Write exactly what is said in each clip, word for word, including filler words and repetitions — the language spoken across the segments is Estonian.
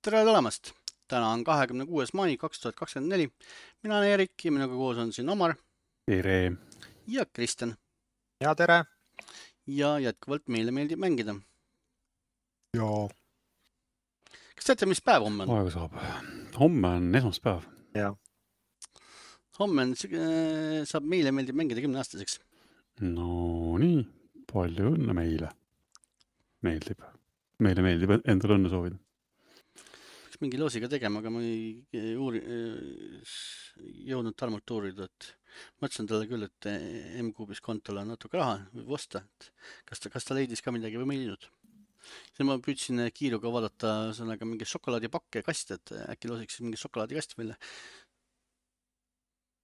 Tere tulemast! Täna on kahekümne kuues mai kaks tuhat kakskümmend neli. Mina olen Erik ja minuga koos on siin Omar. Tere! Ja Kristjan. Ja tere! Ja jätkuvalt meile meeldib mängida. Jaa. Kas teate, mis päev homme on? Aega saab. Homme on esmaspäev. Ja. Homme on, saab meile meeldib mängida kümne aastaseks. No nii, palju õnne meile. Meeldib. Meile meeldib endale õnne soovida. Peaks mingi loosiga tegema, aga ma ei uuri, jõudnud Tarmult uurida, et mõtlesin talle küll, et M-Kuubis kontole on natuke raha võib osta. Kas ta, kas ta leidis ka midagi või meeldnud? Siis ma püüdsin kiiruga vaadata sellega mingi šokolaadipakke kast, et äkki loosiks mingi šokolaadikast välja.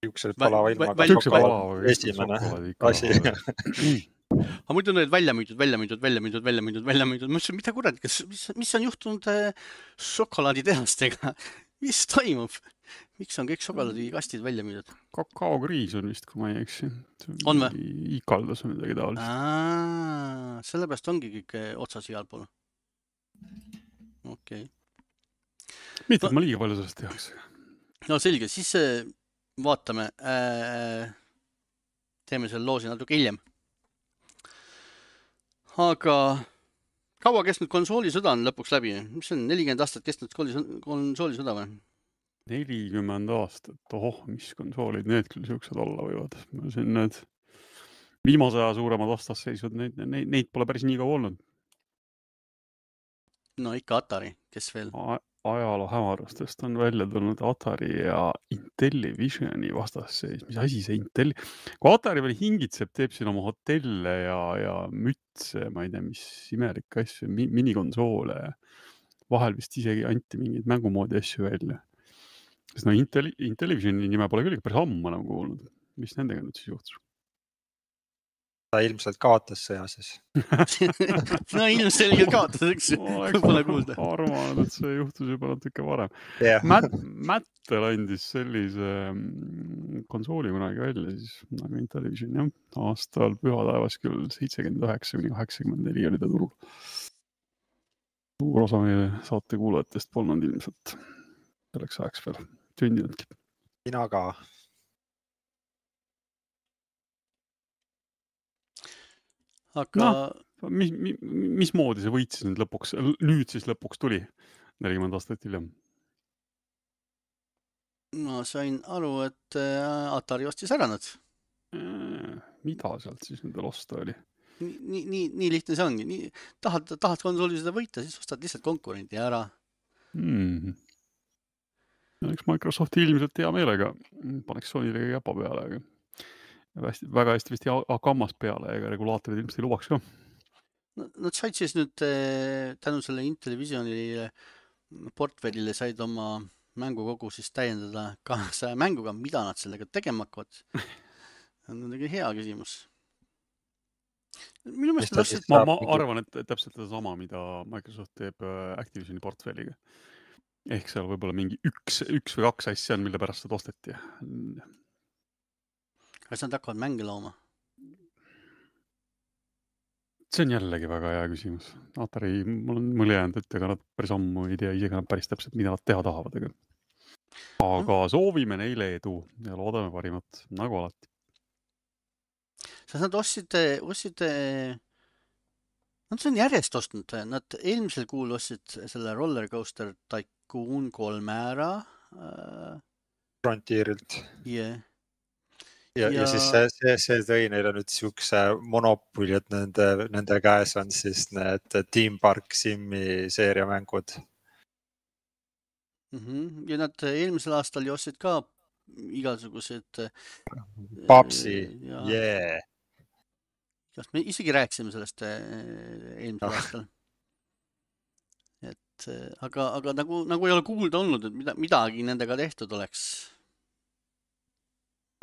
Üks palava ilmaga šokolaad esimene asi. Aga muidu need välja müüdud, välja müüdud, välja müüdud, välja müüdud, välja müüdud. Ma ütlesin, mida kuradi, kas, mis, mis on juhtunud šokolaaditehastega? Mis toimub? Miks on kõik šokolaadikastid välja müüdud? Kakaokriis on vist, kui ma ei eksi. On või? Ikaldus on midagi taolist. Aa, sellepärast ongi kõik otsas igal pool. Okei. Okay. Mitte, et ma liiga palju sellest tehakse. No selge, siis vaatame. Äh, teeme selle loosi natuke hiljem. Aga kaua kestnud konsoolisõda on lõpuks läbi? Mis on nelikümmend aastat kestnud konsoolisõda või? nelikümmend aastat. Ohoh, mis konsoolid need küll siuksed olla võivad. Siin need viimase aja suuremad vastasseisud, neid, neid, neid pole päris nii kaua olnud. No ikka Atari, kes veel? A ajaloo hämarustest on välja tulnud Atari ja Intellivisioni vastasseis. Mis asi see Intelli? Kui Atari veel hingitseb, teeb siin oma hotelle ja, ja mütse, ma ei tea, mis imelik asju, minikonsoole. Vahel vist isegi anti mingid mängumoodi asju välja. Sest no Intelli, Intellivisioni nime pole küll päris ammu enam kuulnud. Mis nendega nüüd siis juhtus? Ta ilmselt kaotas sõja siis. No ilmselgelt kaotas, eks pole kuulda. Arvan, et see juhtus juba natuke varem. Yeah. Mät, Mättel andis sellise konsooli kunagi välja, siis nagu Intellivision, jah. Aastal pühataevas küll seitsekümmend üheksa kuni kaheksakümmend neli oli ta turul. Suur osa meie saate kuulajatest polnud ilmselt selleks ajaks veel sündinudki. Mina ka. Aga... No, mis, mis, mis moodi see võit siis nüüd lõpuks, nüüd siis lõpuks tuli nelikümmend aastat hiljem? Ma sain aru, et Atari ostis ära nad. Mida sealt siis nendel osta oli? Nii, nii, nii lihtne see ongi. Nii, tahad, tahad konsooli seda võita, siis ostad lihtsalt konkurenti ära. Hmm. Eks Microsofti ilmselt hea meelega paneks Sonyle käpa peale, aga Hästi, väga hästi vist kammas peale, ega regulaatorid ilmselt ei lubaks ka. Nad said siis nüüd tänu selle Intellivision'i portfellile said oma mängukogu siis täiendada kahesaja mänguga, mida nad sellega tegema hakkavad. On muidugi hea küsimus. Minu meelest ostsid... ma, ma arvan, et täpselt seda sama, mida Microsoft teeb Activisioni portfelliga. Ehk seal võib-olla mingi üks, üks või kaks asja on, mille pärast seda osteti. Kas nad hakkavad mänge looma? See on jällegi väga hea küsimus. Atari, mul on mõle jäänud, et ega nad päris ammu ei tea isegi nad päris täpselt, mida nad teha tahavad. Aga, aga soovime neile edu ja loodame parimat, nagu alati. Sest nad ostsid, ostsid, nad on järjest ostnud. Nad eelmisel kuul ostsid selle Roller Coaster Tycoon kolme ära. Frontierilt. Jah. Yeah. Ja, ja... ja siis see, see, see tõi neile nüüd siukse monopoli, et nende, nende käes on siis need Team Park Simi seeriamängud. Mm-hmm. Ja nad eelmisel aastal ostsid ka igasugused... Papsi, ja... yeah! Me isegi rääkisime sellest eelmisel oh. aastal. Et, aga aga nagu, nagu ei ole kuulda olnud, et mida, midagi nendega tehtud oleks...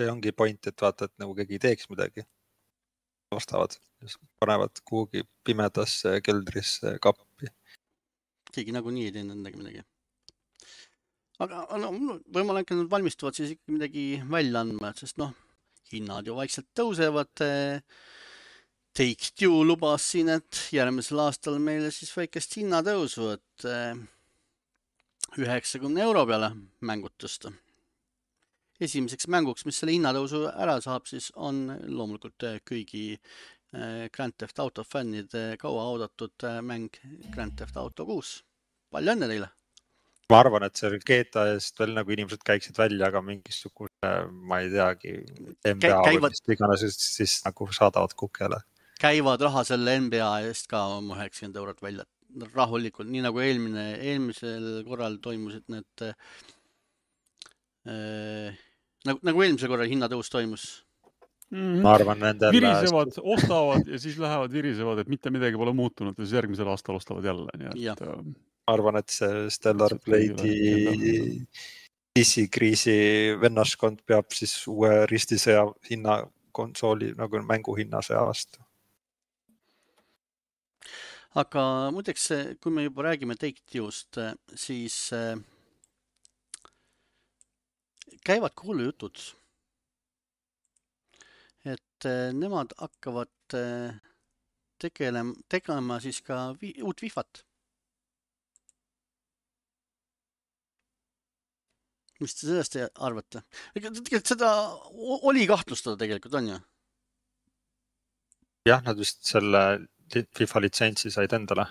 See ongi point, et vaata, et nagu keegi teeks midagi. Ostavad, panevad kuhugi pimedasse keldrisse kappi. Keegi nagu nii ei teinud nendega midagi. Aga no, võimalik, et nad valmistuvad siis ikka midagi välja andma, sest noh, hinnad ju vaikselt tõusevad. Take-Two lubas siin, et järgmisel aastal meile siis väikest hinnatõusu, et üheksakümne euro peale mängud tõsta. Esimeseks mänguks, mis selle hinnatõusu ära saab, siis on loomulikult kõigi Grand Theft Auto fännide kaua oodatud mäng Grand Theft Auto kuus. Palju õnne teile! Ma arvan, et see G T A eest veel nagu inimesed käiksid välja, aga mingisugune, ma ei teagi, N B A Käivad... või iganes, siis, siis nagu saadavad kukele. Käivad raha selle N B A eest ka oma üheksakümmend eurot välja. Rahulikult, nii nagu eelmine, eelmisel korral toimusid need äh, nagu, nagu eelmisel korral hinnatõus toimus. Mm-hmm. Ma arvan, nendel... Virisevad, ostavad ja siis lähevad virisevad, et mitte midagi pole muutunud ja siis järgmisel aastal ostavad jälle. Nii et, ma arvan, et see Stellar Blade'i diskriisi vennaskond peab siis uue ristisõja hinna konsooli nagu mängu hinnasõja vastu. Aga muideks, kui me juba räägime Take-Two'st, siis käivad kuulujutud, et nemad hakkavad tegelema, tegema siis ka vi, uut Wifat. Mis te sellest arvate? Tegelikult seda oli kahtlustada tegelikult, on ju? Jah, nad vist selle FIFA litsentsi said endale.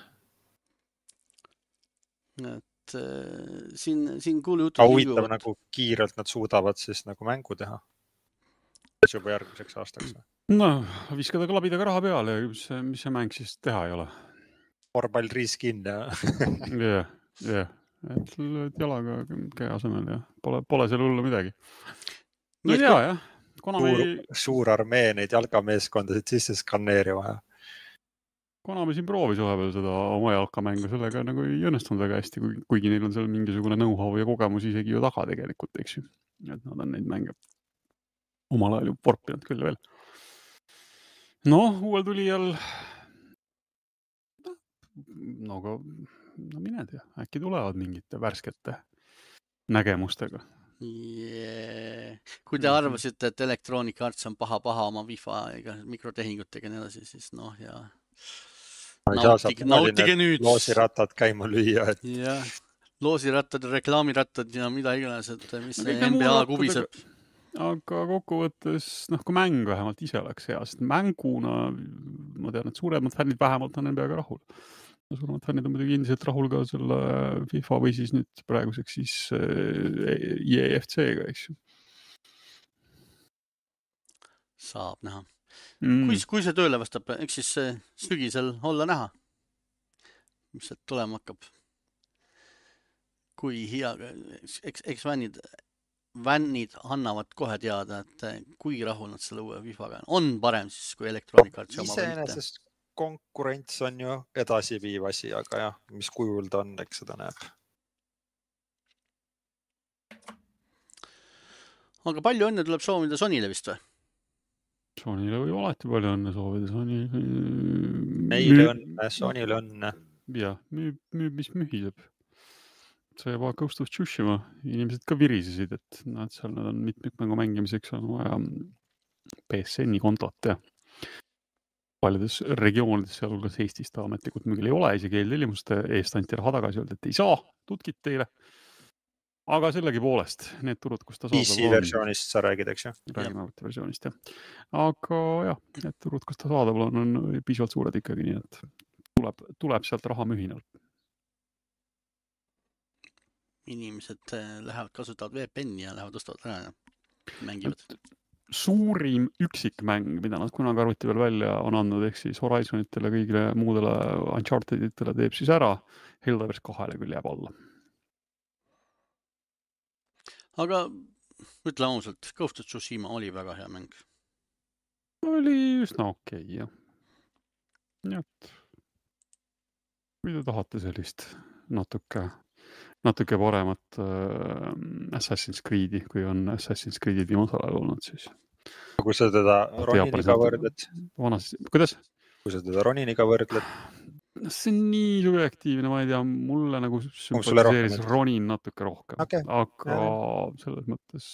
Et äh, siin, siin kuulu jutud... Huvitav, nagu kiirelt nad suudavad siis nagu mängu teha. Juba järgmiseks aastaks. No, viskada klabidaga raha peale ja mis, mis see mäng siis teha ei ole? Korvpall reskin ja... Jah, jah. Et jalaga käe asemel ja pole, pole seal hullu midagi. No ei tea, jah. Konami... Suur, suur armee neid jalgameeskondasid sisse skanneerima ja Konami siin proovis vahepeal seda oma jalkamängu, sellega nagu ei õnnestunud väga hästi, kuigi neil on seal mingisugune know-how ja kogemus isegi ju taga tegelikult, eks ju. Et nad on neid mänge omal ajal ju porpinud küll veel. Noh, uuel tulijal no, aga, no mine tea, äkki tulevad mingite värskete nägemustega. Yeah. Kui te arvasite, et Electronic Arts on paha-paha oma FIFA ega mikrotehingutega ja nii edasi, siis noh ja nautige, nautige nüüd. Loosirattad käima lüüa. Et... jah, loosirattad, reklaamirattad ja mida iganes, et mis see N B A kubiseb. Aga kokkuvõttes, noh, kui mäng vähemalt ise oleks hea, sest mänguna, ma tean, et suuremad fännid vähemalt on N B A-ga rahul. Suuremad fännid on muidugi endiselt rahul ka selle FIFA või siis nüüd praeguseks siis E A F C-ga, eks ju. Saab näha. Mm. Kui, kui see tööle vastab, eks siis sügisel olla näha, mis see tulema hakkab. Kui hea, eks, eks vännid, vännid annavad kohe teada, et kui rahul nad selle uue FIFA-ga on. On parem siis kui Electronic Arts oma võite. Konkurents on ju edasiviiv asi, aga jah, mis kujul ta on, eks seda näeb. Aga palju õnne tuleb soovida Sonyle vist või? Sonyle võib alati palju õnne soovida. Sony... Neile õnne, Sonyle õnne. Jah, müüb, müüb, mis mühiseb. See juba Ghost of Tsushima. Inimesed ka virisesid, et nad seal nad on mitmikmängu mängimiseks on vaja P S N-i kontot ja paljudes regioonides, sealhulgas Eestis ta ametlikult müügil ei ole, isegi eeltellimuste eest anti raha tagasi öelda, et ei saa, tutkid teile. Aga sellegi poolest, need turud, kus ta saab... P C versioonist sa räägid, eks ju? Räägime arvuti versioonist, jah. Aga jah, need turud, kus ta saadavul on, on piisavalt suured ikkagi, nii et tuleb, tuleb sealt raha mühinal. Inimesed lähevad, kasutavad V P N-i ja lähevad ostavad ära ja mängivad. Suurim üksikmäng, mida nad kunagi arvuti veel välja on andnud, ehk siis Horizonitele, kõigile muudele Uncharteditele teeb siis ära, Helldivers kahele küll jääb alla. Aga ütle ausalt, Ghost of Tsushima oli väga hea mäng. Oli üsna okei, okay, jah. Nii et, kui te tahate sellist natuke, natuke paremat äh, Assassin's Creed'i, kui on Assassin's Creed'id viimasel ajal olnud, siis. Kui sa teda Roniniga võrdled? Vanas, kuidas? Kui sa teda Roniniga võrdled? See on nii subjektiivne, ma ei tea, mulle nagu sümpatiseeris Ronin natuke rohkem, okay. Aga ja. Selles mõttes,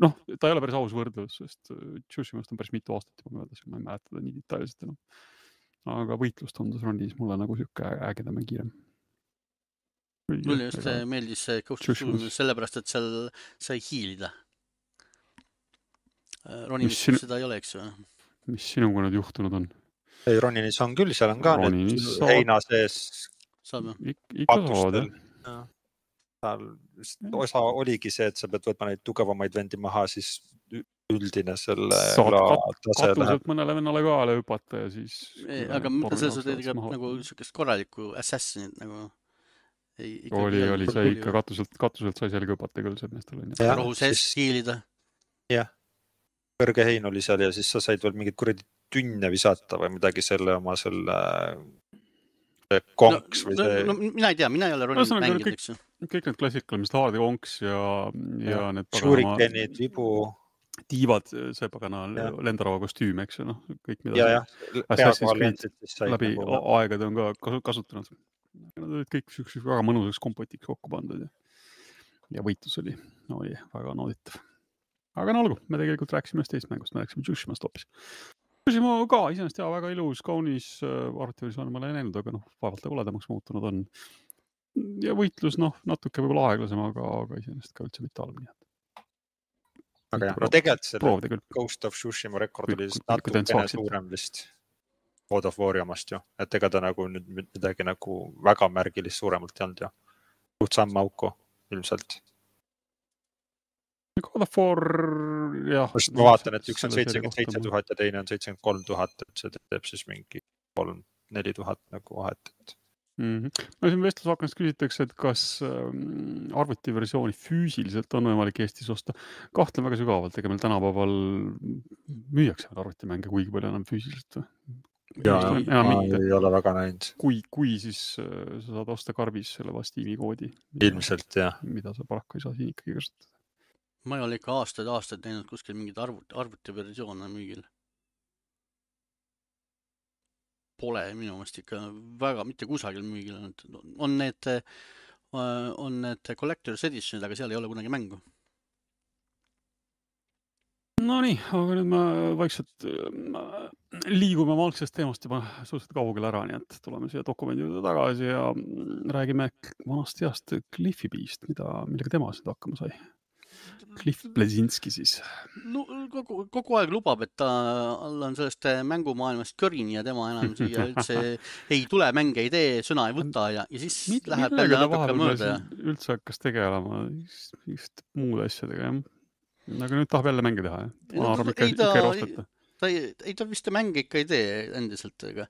noh, ta ei ole päris aus võrdlus, sest Tsushimast on päris mitu aastat juba möödas, ma ei mäleta ta nii detailselt enam. Aga võitlus tundus Ronis mulle nagu siuke ägedam ja kiirem. mulle just meeldis see Ghost of Tsushima sellepärast, et seal sai hiilida. Roninis sinu... seda ei ole, eks ju. Mis sinuga nüüd juhtunud on? Ei, Roninis on küll, seal on ka Roninis need saad... heina sees Ik ikka saad, jah. Osa oligi see, et sa pead võtma neid tugevamaid vendi maha, siis üldine selle saad kat katuselt mõnele vennale kaale hüpata ja siis... Ei, aga selles on teid nagu sükest korralikku assassinit nagu... Ei, oli, oli, sai ikka katuselt, katuselt sai seal hüpata küll see meestel. Rohu sees hiilida. Jah, kõrge hein oli seal ja siis sa said veel mingid kuradi tünne visata või midagi selle oma selle konks no, või see... No, no mina ei tea, mina ei ole Ronin no, mängid, eks ju. Kõik need klassikalised haardi konks ja, ja, ja need Shurikenid, vibu... Tiivad, see pagana lendarava kostüüm, eks ju, noh, kõik mida ja, ja. Assassin's Creed läbi nagu... aegade on ka kasutanud. Nad olid kõik sükseks väga mõnusaks kompotiks kokku pandud ja, ja võitlus oli, oli väga nauditav. Aga no olgu, me tegelikult rääksime ühest teist mängust, me rääksime Tsushimast hoopis. Tsushima ka iseenesest jah, väga ilus, kaunis arvutiversioon ma olen näinud, aga noh, vaevalt ta koledamaks muutunud on. Ja võitlus, noh, natuke võib-olla aeglasem, aga, aga iseenesest ka üldse mitte halb. Aga jah, no tegelikult selle Ghost of Tsushima rekord oli natuke suurem vist. God of War omast ju, et ega ta nagu nüüd midagi nagu väga märgilist suuremalt ei olnud ja suht samm auku ilmselt. God of War, jah. Ma vaatan, et üks on seitsekümmend seitse tuhat ja teine on seitsekümmend kolm tuhat, et see teeb siis mingi kolm neli tuhat nagu vahet. Mm -hmm. No siin vestlusvaknast küsitakse, et kas arvutiversiooni füüsiliselt on võimalik Eestis osta. Kahtlen väga sügavalt, ega meil tänapäeval müüakse arvutimänge kuigi palju enam füüsiliselt või? Ja, ja ma ei ole väga näinud. Kui, kui siis sa saad osta karbis selle Steam'i koodi. Ilmselt, jah. Mida sa paraku ei saa siin ikkagi kasutada. Ma ei ole ikka aastaid aastaid näinud kuskil mingid arvuti, arvutiversioone müügil. Pole minu meelest ikka väga mitte kusagil müügil. On need, on need Collector's Editionid, aga seal ei ole kunagi mängu. No nii, aga nüüd ma vaikselt liigume oma algsest teemast juba suhteliselt kaugele ära, nii et tuleme siia dokumendi juurde tagasi ja räägime vanast heast Cliffi Beast, mida, millega tema seda hakkama sai. Cliff Bleszinski siis. No, kogu, kogu aeg lubab, et ta on sellest mängumaailmast körini ja tema enam siia üldse ei tule, mänge ei tee, sõna ei võta ja, ja siis Mid, läheb jälle natuke mööda. Üldse hakkas tegelema just muude asjadega, jah. Aga nüüd tahab jälle mänge teha, jah? Ma arvan, ikka, ikka ei roostata. Ta ei, ei ta vist mänge ikka ei tee endiselt, aga,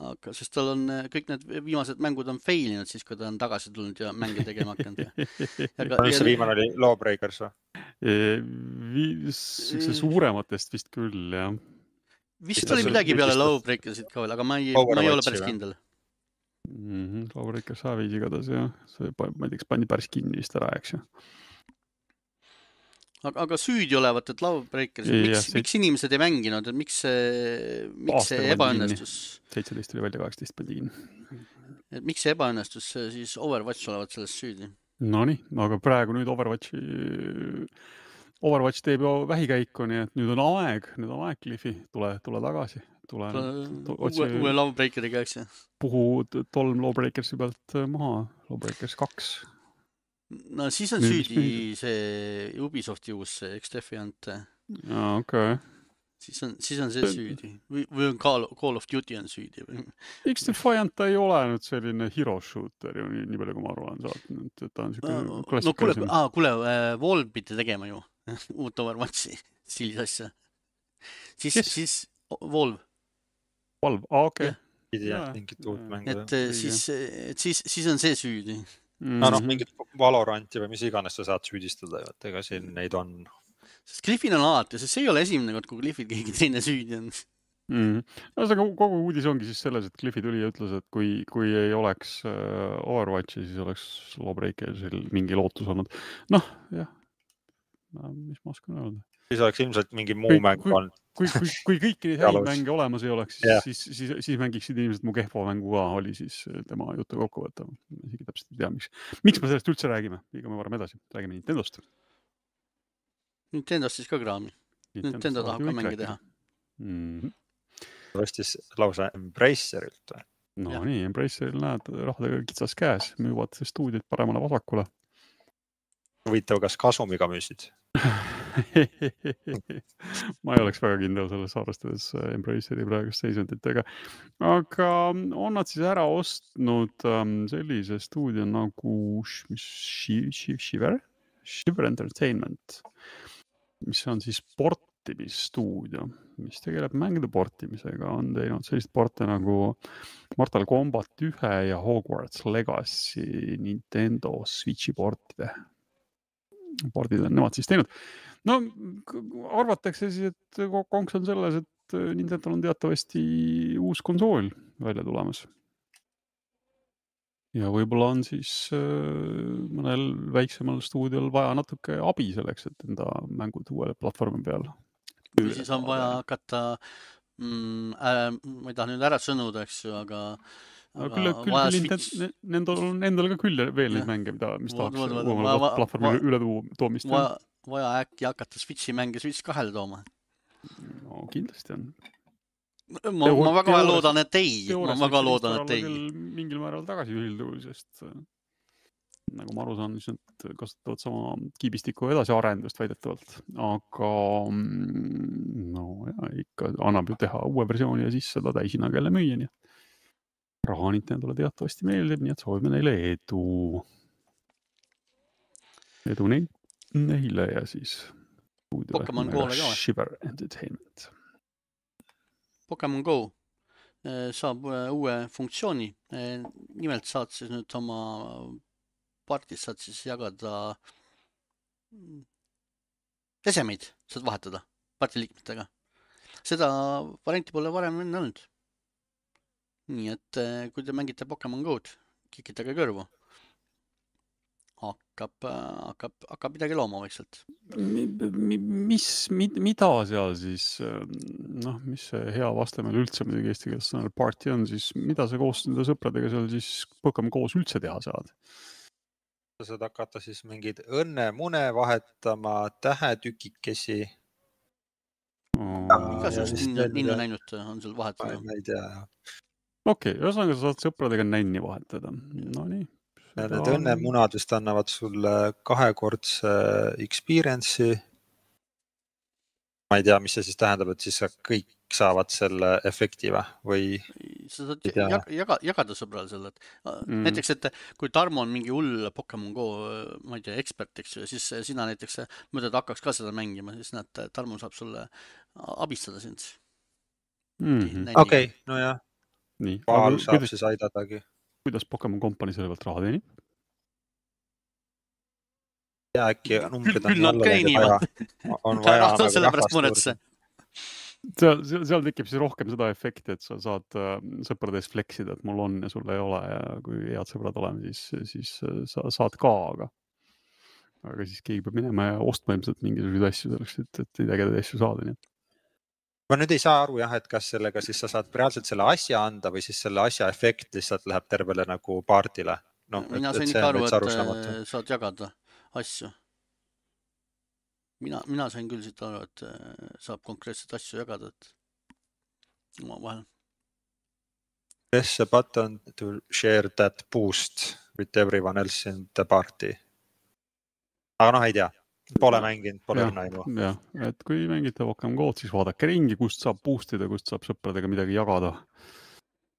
aga sest tal on kõik need viimased mängud on failinud siis, kui ta on tagasi tulnud ja mänge tegema hakanud. Mis see viimane oli? Lawbreakers või? See suurematest vist küll, jah. Vist oli midagi peale Lawbreakersit ka veel, aga ma ei, ma ei ole päris kindel. Mm -hmm, Lawbreakers Savis igatahes, jah. See, ma ei teaks, pandi päris kinni vist ära, eks ju. Aga, aga süüdi olevat, et Lawbreakers, miks, see... miks inimesed ei mänginud, et miks see, miks see ebaõnnestus? seitseteist oli välja, kaheksateist pandi kinni. Et miks see ebaõnnestus, siis Overwatch olevat sellest süüdi? No nii, aga praegu nüüd Overwatchi, Overwatch teeb ju vähikäiku, nii et nüüd on aeg, nüüd on aeg, Cliffi, tule, tule tagasi. Tule, to, uue, uue Lawbreakeriga, eks ju? Puhu tolm Lawbreakersi pealt maha, Lawbreakers kaks. No siis on nüüd süüdi see Ubisofti uus, see X-Defiant. Jaa, okei. Okay. Siis on, siis on see süüdi. Või, või on Call, Call of Duty on süüdi. X-Defiant ei ole nüüd selline hero shooter ju nii, nii palju, kui ma arvan saad. Ta on selline no, klassikalisem. No kuule, äh, Valve pidi tegema ju uut Overwatchi stiilis asja. Siis, yes. siis Valve. Valve, aa, okei. Okay. Pidi jah, mingit uut mängu. Et, siis, et siis, siis on see süüdi. Mm. No, no mingit Valoranti või mis iganes sa saad süüdistada, et ega siin neid on. Sest Cliffil on alati, sest see ei ole esimene kord, kui Cliffil keegi teine süüdi on. Mm. No, see kogu uudis ongi siis selles, et Cliffi tuli ja ütles, et kui, kui ei oleks Overwatchi, siis oleks Lawbreakersil mingi lootus olnud. Noh, jah, no, mis ma oskan öelda. Siis oleks ilmselt mingi muu mäng olnud. Kui, kui, kui kõiki neid häid mänge olemas ei oleks, siis, yeah. siis, siis, siis mängiksid inimesed mu kehva mängu ka, oli siis tema jutu kokku võtta. Isegi täpselt ei tea, miks. Miks me sellest üldse räägime? Liigume varem edasi. Räägime Nintendost. Nintendost siis ka kraami. Nintendo, Nintendo tahab ka mänge teha. Mm-hmm. Vastis lausa Embracerilt. No Jah. nii, Embraceril näed rahadega kitsas käes, müüvad stuudiid paremale vasakule. Huvitav, kas kasumiga müüsid? Ma ei oleks väga kindel selles arvestades Embraceri praegust seisunditega. Aga on nad siis ära ostnud sellise stuudio nagu Shiver? Shiver Entertainment, mis on siis portimisstuudio, mis tegeleb mängude portimisega, on teinud sellist porte nagu Mortal Kombat ühe ja Hogwarts Legacy Nintendo Switchi portide. Pordid on nemad siis teinud. No arvatakse siis, et konks on selles, et Nintendo on teatavasti uus konsool välja tulemas. Ja võib-olla on siis mõnel väiksemal stuudiol vaja natuke abi selleks, et enda mängud uuele platvormi peal. Või siis on vaja hakata, mm, äh, ma ei taha nüüd ära sõnuda, eks ju, aga, aga küll, küll Switch... nendel on endal ka küll veel neid mänge, mida, mis tahaks uuele platvormi üle toomist. Vaja, vaja äkki hakata Switchi mänge Switch kahele tooma. No kindlasti on. Ma, ma väga loodan, et ei. Ma väga loodan, et ei. Mingil määral tagasi ühildu, sest nagu ma aru saan, siis nad kasutavad sama kiibistiku edasi arendust väidetavalt. Aga no ja, ikka annab ju teha uue versiooni ja siis seda täishinnaga jälle müüa. Nii. Raha Nintendole teatavasti meeldib, nii et soovime neile edu. Edu neile ja siis Pokemon Go Shiver Entertainment. Pokemon Go saab uue funktsiooni. Nimelt saad siis nüüd oma partis saad siis jagada esemeid, saad vahetada partiliikmetega. Seda varianti pole varem enne olnud. Nii et kui te mängite Pokemon Go'd, kikitage kõrvu. Hakkab, hakkab, hakkab midagi looma vaikselt. Mis, mida seal siis, noh, mis see hea vaste meil üldse midagi eesti keeles sõnal party on, siis mida sa koos nende sõpradega seal siis Pokemon koos üldse teha saad? Sa saad hakata siis mingid õnne mune vahetama, tähetükikesi. Igasugust ninna näinud on seal vahetada. Ma ei tea. Okei, ühesõnaga sa saad sõpradega nänni vahetada. No nii. Need õnnemunad vist annavad sulle kahekordse experience'i. Ma ei tea, mis see siis tähendab, et siis kõik saavad selle efekti või? Sa saad jaga, jagada sõbrale selle. Mm. Näiteks, et kui Tarmo on mingi hull Pokemon Go, ma ei tea, ekspert, eks ju, siis sina näiteks mõtled hakkaks ka seda mängima, siis näed, Tarmo saab sulle abistada sind. Mm-hmm. Okei, okay, no jah. Nii. Paal saab kuidas, siis aidadagi. Kuidas Pokemon Company selle pealt raha teenib? Ja äkki numbrid on jälle vaja. On vaja nagu sellepärast muretse. Seal, seal tekib siis rohkem seda efekti, et sa saad sõprades fleksida, et mul on ja sul ei ole ja kui head sõbrad oleme, siis, siis sa saad ka, aga, aga siis keegi peab minema ja ostma ilmselt mingisuguseid asju selleks, et, et ei tegeda asju saada. Nii. Ma nüüd ei saa aru jah, et kas sellega siis sa saad reaalselt selle asja anda või siis selle asja efekt lihtsalt läheb tervele nagu paardile. No, mina sain ikka aru, et saad jagada asju. Mina, mina sain küll siit aru, et saab konkreetselt asju jagada, et oma vahel. Press a button to share that boost with everyone else in the party. Aga noh, ei tea. Pole mänginud, pole õnnaimu. Jah, et kui mängite Pokemon Go'd, siis vaadake ringi, kust saab boostida, kust saab sõpradega midagi jagada.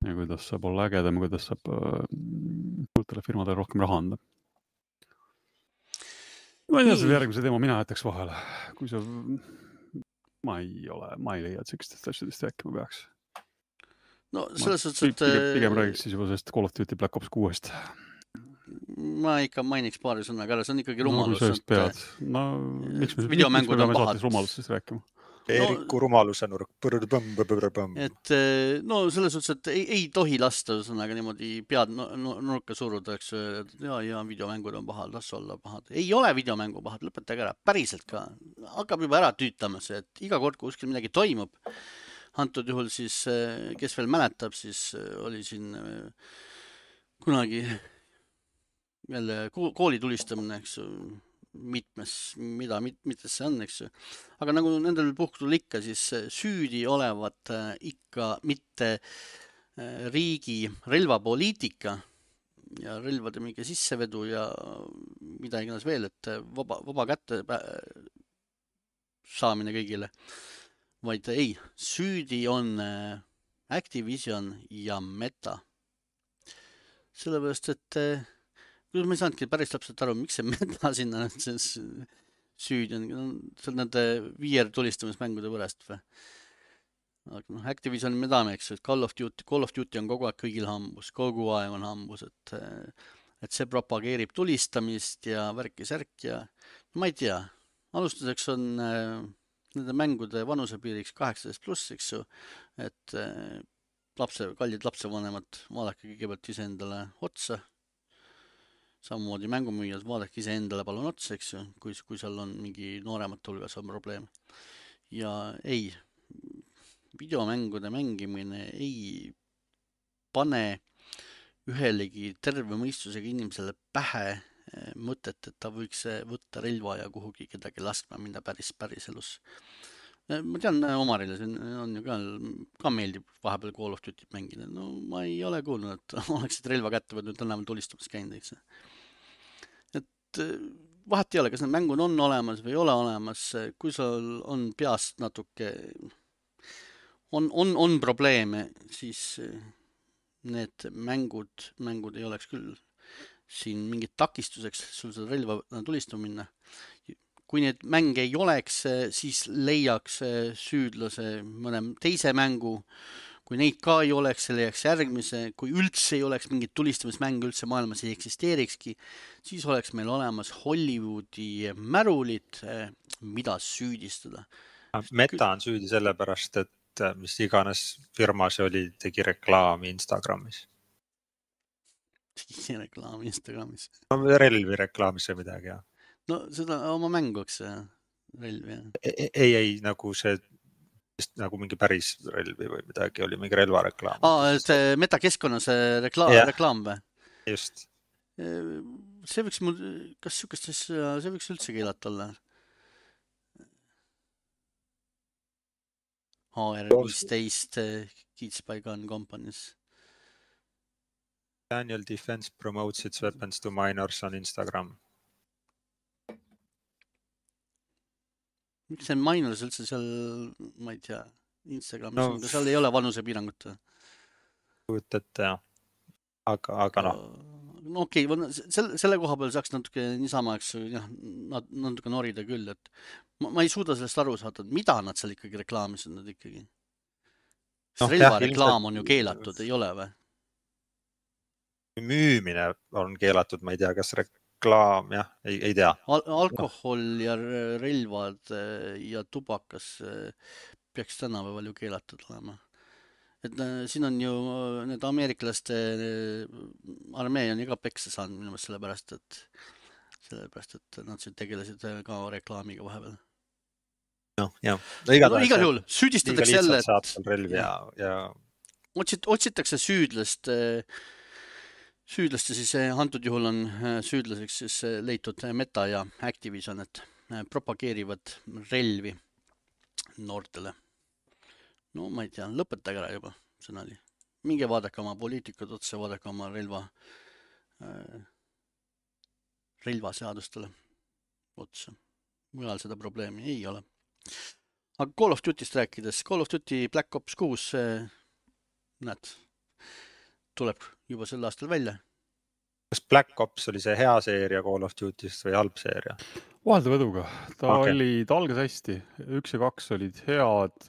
Ja kuidas saab olla ägedam, kuidas saab suurtele firmadele rohkem raha anda. Ma ei tea, selle järgmise teema mina jätaks vahele. Kui sa... Ma ei ole, ma ei leia, et sellistest asjadest rääkima peaks. No selles suhtes, et... Pigem, pigem räägiks siis juba sellest Call of Duty Black Ops kuuest. Ma ikka mainiks paari sõnaga ära, see on ikkagi rumalus. No, kui sa pead. No, miks me, videomängud miks me on pahad. Rumalusest rääkima? Eeriku no, rumaluse nurk. Et no selles suhtes, et ei, ei tohi lasta sõnaga niimoodi pead no, no, nurka suruda, eks ja, ja videomängud on pahad, las olla pahad. Ei ole videomängu pahad, lõpetage ära, päriselt ka. Hakkab juba ära tüütama see, et iga kord, kui kuskil midagi toimub, antud juhul siis, kes veel mäletab, siis oli siin kunagi jälle kooli tulistamine, eks mitmes, mida, mit, mitmes see on, eks ju. Aga nagu nendel puhkudel ikka, siis süüdi olevat ikka mitte riigi relvapoliitika ja relvade mingi sissevedu ja mida iganes veel, et vaba, vaba kätte saamine kõigile, vaid ei, süüdi on Activision ja Meta. Sellepärast, et kuidas ma ei saanudki päris täpselt aru, miks see Meta sinna süüdi on, see on nende viier tulistamismängude pärast või? Aga noh, Activision me teame, eks, et Call of Duty, Call of Duty on kogu aeg kõigil hambus, kogu aeg on hambus, et, et see propageerib tulistamist ja värki-särk ja ma ei tea, alustuseks on äh, nende mängude vanusepiiriks kaheksateist pluss, eks ju, et äh, lapse, kallid lapsevanemad, vaadake kõigepealt ise endale otsa, samamoodi mängumüüjad, vaadake ise endale palun otsa, eks ju, kui, kui seal on mingi nooremate hulgas on probleem. Ja ei, videomängude mängimine ei pane ühelegi terve mõistusega inimesele pähe mõtet, et ta võiks võtta relva ja kuhugi kedagi laskma minna päris, päris elus. Ma tean, Omarile see on ju ka, ka meeldib vahepeal Call of Duty mängida. No ma ei ole kuulnud, et oleksid relva kätte võtnud, tänaval tulistamas käinud, eks. Et vahet ei ole, kas need mängud on olemas või ei ole olemas, kui sul on peast natuke On, on, on probleeme, siis need mängud, mängud ei oleks küll siin mingit takistuseks sul seda relva tulistama minna. Kui need mänge ei oleks, siis leiaks süüdlase mõne teise mängu. Kui neid ka ei oleks, see leiaks järgmise. Kui üldse ei oleks mingit tulistamismänge üldse maailmas ei eksisteerikski, siis oleks meil olemas Hollywoodi märulid, mida süüdistada. Meta on süüdi sellepärast, et mis iganes firma see oli, tegi reklaami Instagramis. Tegi reklaami Instagramis? No, relvi reklaamis või midagi, jah. No seda oma mänguks relvi, jah. Ei, ei, ei, nagu see, nagu mingi päris relvi või midagi oli, mingi relvareklaam. Aa, see metakeskkonnas rekla- yeah. reklaam või? Just. See võiks mul, kas sükestes, see võiks üldse keelata olla? H R viisteist Kids by Gun Companies. Daniel Defense promotes its weapons to minors on Instagram. Miks see minors üldse seal, ma ei tea, Instagramis no, on, seal ei ole vanusepiirangut? Kujutate, jah. Aga, aga noh. No okei, okay, selle, selle koha peal saaks natuke niisama, eks, jah, natuke norida küll, et ma, ma ei suuda sellest aru saada, mida nad seal ikkagi reklaamis on nad ikkagi. No, relva reklaam on ju keelatud, ei ole või? Müümine on keelatud, ma ei tea, kas reklaam, jah, ei, ei tea. Al alkohol ja relvad ja tubakas peaks tänapäeval ju keelatud olema. Et siin on ju need ameeriklaste armee on iga peksa saanud minu meelest sellepärast, et sellepärast, et nad siin tegelesid ka reklaamiga vahepeal. No, jah. No, igal, no, igal juhul süüdistatakse jälle, et ja, ja... Otsit, otsitakse süüdlast, süüdlaste siis antud juhul on süüdlaseks siis leitud Meta ja Activision, et propageerivad relvi noortele. No ma ei tea, lõpetage ära juba, see oli. Minge vaadake oma poliitikud otsa, vaadake oma relva, äh, relvaseadustele otsa. Mujal seda probleemi ei ole. Aga Call of Duty'st rääkides, Call of Duty Black Ops kuus, näed, tuleb juba sel aastal välja. Kas Black Ops oli see hea seeria Call of Duty'st või halb seeria? Vaheldavõduga. Ta okay. oli, ta algas hästi. Üks ja kaks olid head,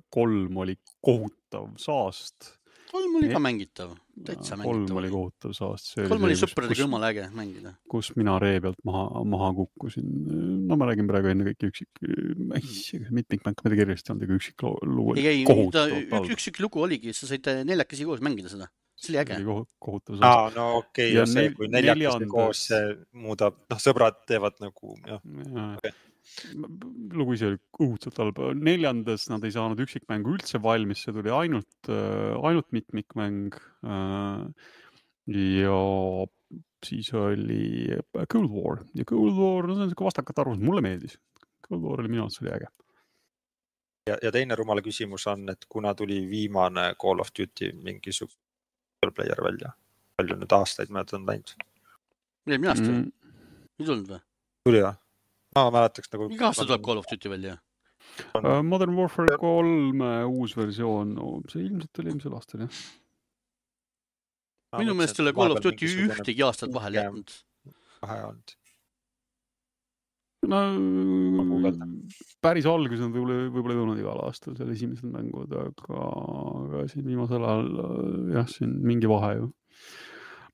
kolm oli kohutav saast. Kolm oli ka mängitav, täitsa mängitav. Kolm oli kohutav saast. See kolm oli, oli kus, sõpradega jumala äge mängida. Kus mina ree pealt maha, maha kukkusin. No ma räägin praegu enne kõik üksik, mitmikmänk, mida kirjasti olnud, aga üksik lugu oli ei, kohutav. Ük, üksik lugu oligi, sa said neljakesi koos mängida seda. See oli äge. Kohutav saast. Aa, no okei, okay, see, kui neljakesi koos see muudab, noh, sõbrad teevad nagu, jah. Ja. Okay. Lugu ise oli õudselt halba. Neljandas nad ei saanud üksikmängu üldse valmis, see tuli ainult, ainult mitmikmäng ja siis oli Cold War ja Cold War, no see on vastakat arvus, mulle meeldis. Cold War oli minu arvates oli äge. ja, ja teine rumala küsimus on, et kuna tuli viimane Call of Duty mingisugune player välja, palju nüüd aastaid mööda on läinud. Eelmine aasta või? Ei tulnud või? Tuli või? Ma mäletaks nagu... Iga aasta tuleb Call of Duty välja? Uh, Modern Warfare kolm uus versioon, no, see ilmselt oli eelmisel aastal, jah. Minu meelest selle Call of Duty ühtegi aastat vahel jätnud. Vahe olnud. No, päris algus on võib-olla, võib-olla ei tulnud igal aastal seal esimesed mängud, aga, aga siin viimasel ajal, jah, siin mingi vahe ju.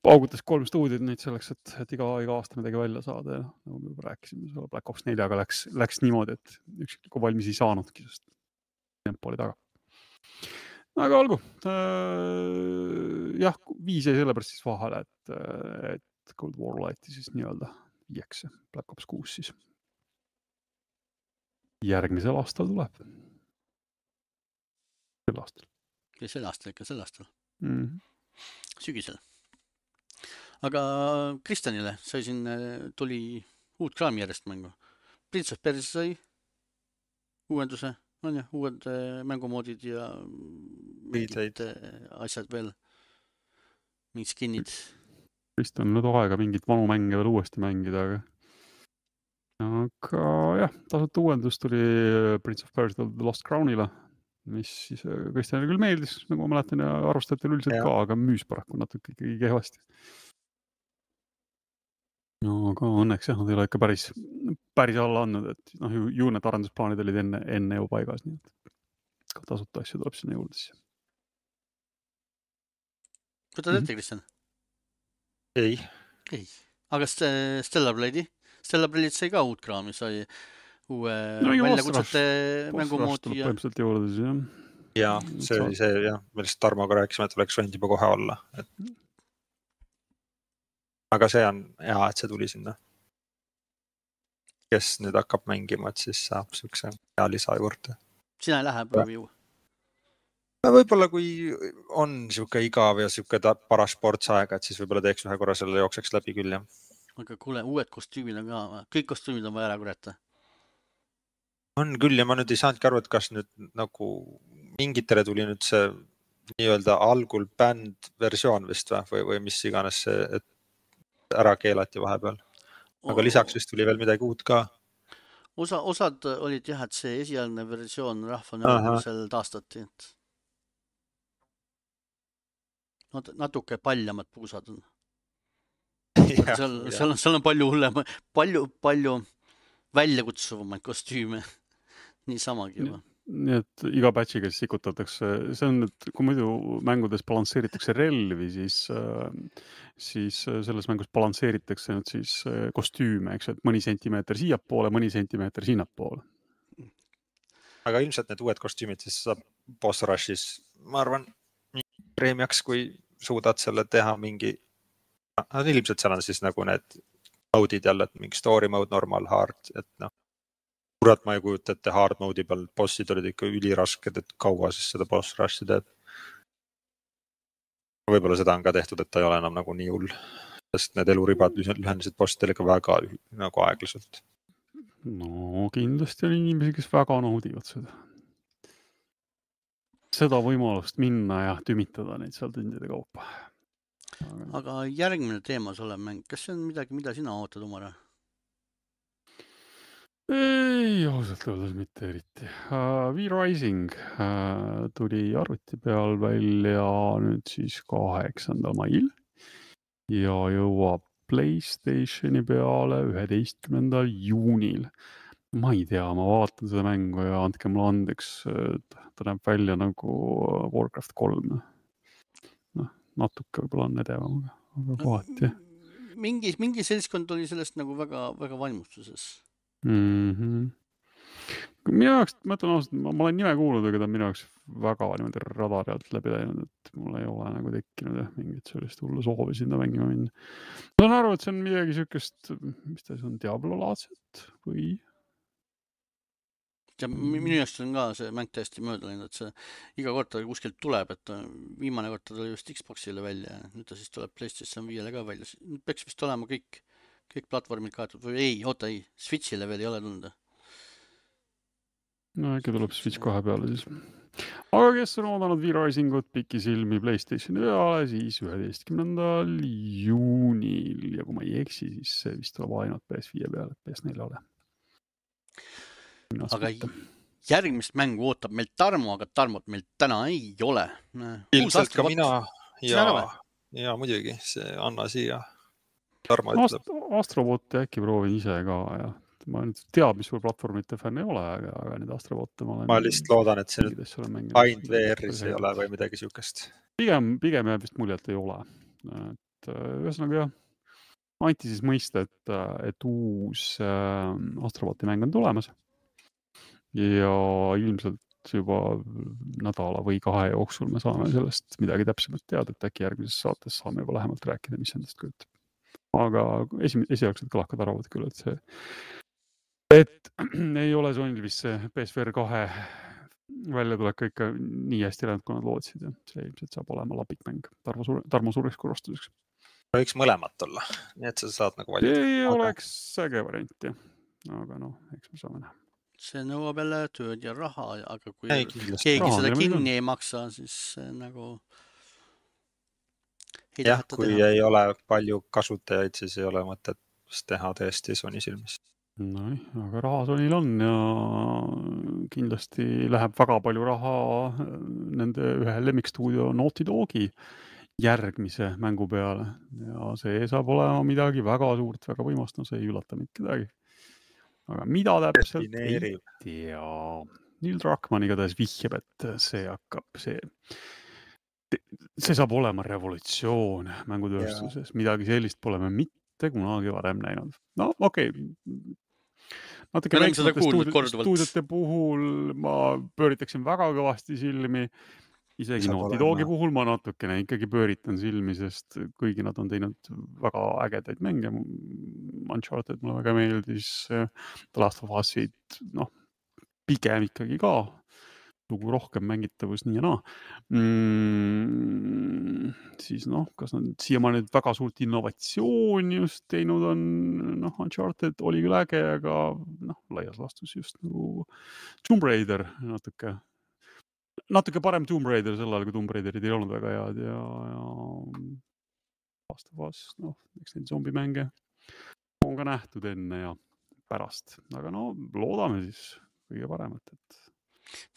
Paugutas kolm stuudiot neid selleks, et, et iga, iga aasta midagi välja saada ja nagu me juba rääkisime, selle Black Ops neljaga läks, läks niimoodi, et ükski valmis ei saanudki, sest tempo oli taga. Aga olgu, jah, viis jäi sellepärast siis vahele, et, et Cold War Lighti siis nii-öelda viieks, Black Ops kuus siis. Järgmisel aastal tuleb. Sel aastal. Ja sel aastal ikka, sel aastal. Mm-hmm. Sügisel. Aga Kristjanile sai siin, tuli uut kraami järjest mängu. Prince of Persia sai uuenduse, on jah, uued mängumoodid ja mingid asjad veel, mingid skinnid. Kristjan on nüüd aega mingit vanu mänge veel uuesti mängida, aga aga jah, tasuta uuendus tuli Prince of Persia The Lost Crownile, mis siis Kristjanile küll meeldis, nagu ma mäletan ja arvustajatel üldiselt ja. Ka, aga müüs paraku natuke ikkagi kehvasti. No aga õnneks jah, nad ei ole ikka päris, päris alla andnud, et noh, ju, ju need arendusplaanid olid enne, enne ju paigas, nii et ka tasuta asju tuleb sinna juurde. Võtad ette, Kristjan? Ei. Ei. Aga Stellar Blade'i? Stellar Blade'id sai ka uut kraami, sai uue no, väljakutsete mängumoodi. Ja... Põhimõtteliselt juurde siis, jah. Ja, see oli see, jah, millest Tarmoga rääkisime, et oleks võinud juba kohe olla. Et... Aga see on hea, et see tuli sinna. Kes nüüd hakkab mängima, et siis saab sükse hea lisa juurde. Sina ei lähe proovi ju? Võib-olla kui on siuke igav ja siuke paras sportsaega, et siis võib-olla teeks ühe korra selle jookseks läbi küll, jah. Aga kuule, uued kostüümid on ka, kõik kostüümid on vaja ära kurata. On küll ja ma nüüd ei saanudki aru, et kas nüüd nagu mingitele tuli nüüd see nii-öelda algul bänd versioon vist või, või mis iganes see, et ära keelati vahepeal. Aga lisaks vist tuli veel midagi uut ka. Osa, osad olid jah, et see esialgne versioon rahvanõudmisel taastati. Et... natuke paljamad puusad on. Ja, seal, seal, on, seal on palju hullem, palju, palju väljakutsuvamaid kostüüme. Nii samagi juba. Nii et iga patchiga sikutatakse, see on, et kui muidu mängudes balansseeritakse relvi, siis, siis selles mängus balansseeritakse nüüd siis kostüüme, eks, et mõni sentimeeter siiapoole, mõni sentimeeter sinnapoole. Aga ilmselt need uued kostüümid siis saab boss rushis, ma arvan, preemiaks, kui suudad selle teha mingi no, ilmselt seal on siis nagu need mode'id jälle, et mingi story mode, normal, hard, et noh, kurat ma ei kujuta, et hard mode'i peal bossid olid ikka ülirasked, et kaua siis seda boss rush'i teeb. Võib-olla seda on ka tehtud, et ta ei ole enam nagu nii hull, sest need eluribad lühendasid bossidel ikka väga nagu aeglaselt. No kindlasti on inimesi, kes väga naudivad seda. Seda võimalust minna ja tümitada neid seal tundide kaupa. Aga järgmine teemas olev mäng, kas see on midagi, mida sina ootad, Umar? Ei, ausalt öeldes mitte eriti. Uh, V-Rising uh, tuli arvuti peal välja nüüd siis kaheksandal mail ja jõuab PlayStationi peale üheteistkümnendal juunil. Ma ei tea, ma vaatan seda mängu ja andke mulle andeks, ta näeb välja nagu Warcraft kolm. Noh, natuke võib-olla on edevam, aga kohati. Mingi, mingi seltskond oli sellest nagu väga, väga vaimustuses. Mm-hmm. Minu jaoks, ma ütlen ausalt, ma, ma olen nime kuulnud, aga ta on minu jaoks väga niimoodi radari alt läbi läinud, et mul ei ole nagu tekkinud jah, mingit sellist hullu soovi sinna mängima minna. Ma saan aru, et see on midagi siukest, mis ta on, Diablo-laadset või? Ja minu jaoks on ka see mäng täiesti mööda läinud, et see iga kord ta kuskilt tuleb, et viimane kord ta tuli just Xboxile välja ja nüüd ta siis tuleb PlayStation viiele ka välja. Nüüd peaks vist olema kõik, kõik platvormid kaetud või ei, oota ei, Switchile veel ei ole tulnud. no äkki tuleb Switch kahe peale siis. Aga kes on oodanud V-Risingut pikisilmi PlayStationi peale, siis üheteistkümnendal juunil ja kui ma ei eksi, siis see vist tuleb ainult P S viie peale, P S neljale. Aga järgmist mängu ootab meil Tarmo, aga Tarmot meil täna ei ole. Ilmselt ka mina ja, ja muidugi see anna siia. Tarmo ütleb. Astrobotti äkki proovin ise ka ja ma nüüd teab, mis sul platvormite fänn ei ole, aga, aga need Astrobotte ma olen... Ma lihtsalt loodan, et see nüüd ainult V R-is ei ole või midagi sihukest. Pigem, pigem jääb vist mulje, et ei ole. Et ühesõnaga jah, anti siis mõista, et, et uus äh, Astroboti mäng on tulemas ja ilmselt juba nädala või kahe jooksul me saame sellest midagi täpsemalt teada, et äkki järgmises saates saame juba lähemalt rääkida, mis endast kujutab. Aga esi, esialgselt kõlakad arvavad küll, et see et ei ole Sonyl vist see P S V R kahe välja tulek ikka nii hästi läinud, kui nad lootsid ja see ilmselt saab olema lapikmäng Tarmo, suure, Tarmo suureks korrastuseks. Võiks mõlemat olla, nii et sa saad nagu valida. Ei aga... oleks äge variant, jah. Aga noh, eks me saame näha. See nõuab jälle tööd ja raha, aga kui ei, keegi raha, seda kinni ei maksa, siis nagu ei jah, kui teha. Ei ole palju kasutajaid, siis ei ole mõtet teha tõesti Sony silmis. No, aga raha Sonyl on ja kindlasti läheb väga palju raha nende ühe lemmikstuudio Naughty Dogi järgmise mängu peale ja see saab olema midagi väga suurt, väga võimast, no see ei ülata mitte kedagi. Aga mida täpselt ei tea. Neil Druckmann igatahes vihjab, et see hakkab, see, see saab olema revolutsioon mängutööstuses, ja. Midagi sellist pole me mitte kunagi varem näinud. No okei, okay. Natuke väiksemate stuudiote puhul ma pööritaksin väga kõvasti silmi. Isegi Naughty Dogi puhul ma natukene ikkagi pööritan silmi, sest kõigi nad on teinud väga ägedaid mänge. Uncharted mulle väga meeldis, The Last of Us'id, noh, pigem ikkagi ka. Lugu rohkem mängitavus nii ja naa. Mm, siis noh, kas nad siiamaani väga suurt innovatsiooni just teinud on, noh, Uncharted oli küll äge, aga noh, laias laastus just nagu Tomb Raider natuke, natuke parem Tomb Raider sel ajal, kui Tomb Raiderid ei olnud väga head ja, ja Last of Us, noh, eks neid zombimänge on ka nähtud enne ja pärast, aga no loodame siis kõige paremat, et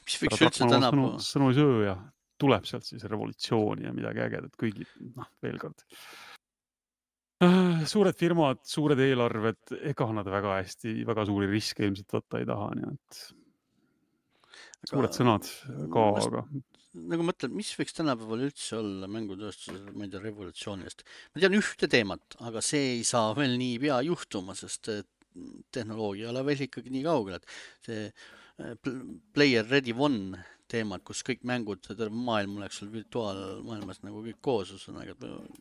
mis võiks üldse tänapäeva? Sõnu, sõnu söö ja tuleb sealt siis revolutsiooni ja midagi ägedat kõigi, noh, veel kord. Suured firmad, suured eelarved, ega nad väga hästi, väga suuri riske ilmselt võtta ei taha, nii et aga, suured sõnad ka, ma, aga... Nagu mõtlen, mis võiks tänapäeval üldse olla mängutööstuses, ma ei tea, revolutsioonist? Ma tean ühte teemat, aga see ei saa veel nii pea juhtuma, sest tehnoloogia ei ole veel ikkagi nii kaugel, et see Player Ready One teemad, kus kõik mängud, terve maailm oleks sul virtuaalmaailmas nagu kõik koos, ühesõnaga,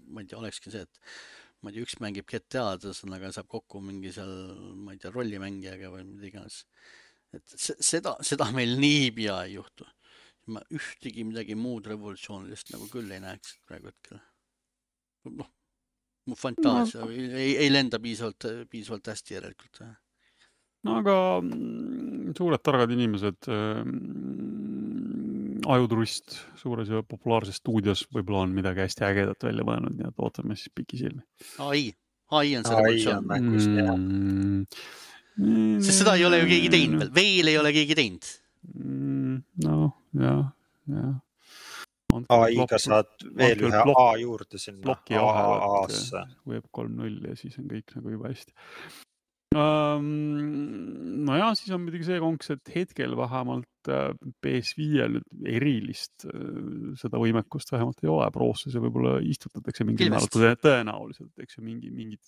ma ei tea, olekski see, et ma ei tea, üks mängib G T A-d, ühesõnaga saab kokku mingi seal, ma ei tea, rollimängijaga või mida iganes. Et seda, seda meil nii pea ei juhtu. Ma ühtegi midagi muud revolutsioonilist nagu küll ei näeks praegu hetkel. Noh, mu fantaasia no. ei, ei lenda piisavalt, piisavalt hästi järelikult. No aga suured targad inimesed, äh, ajuturist suures ja populaarses stuudios võib-olla on midagi hästi ägedat välja mõelnud, nii et ootame siis pikisilmi. A I, A I on see revolutsioon. Mm, mm, Sest seda ei ole ju keegi teinud veel, veel ei ole keegi teinud. Mm, no, jah, jah. A I-ga saad veel ühe blok, A juurde sinna. Bloki ahelat, Web kolm null ja siis on kõik nagu juba hästi. Um, no ja, siis on midagi see konks, et hetkel vähemalt P S viiel erilist seda võimekust vähemalt ei ole. Proosse see võib-olla istutatakse mingi määratud tõenäoliselt, eks ju mingi, mingid,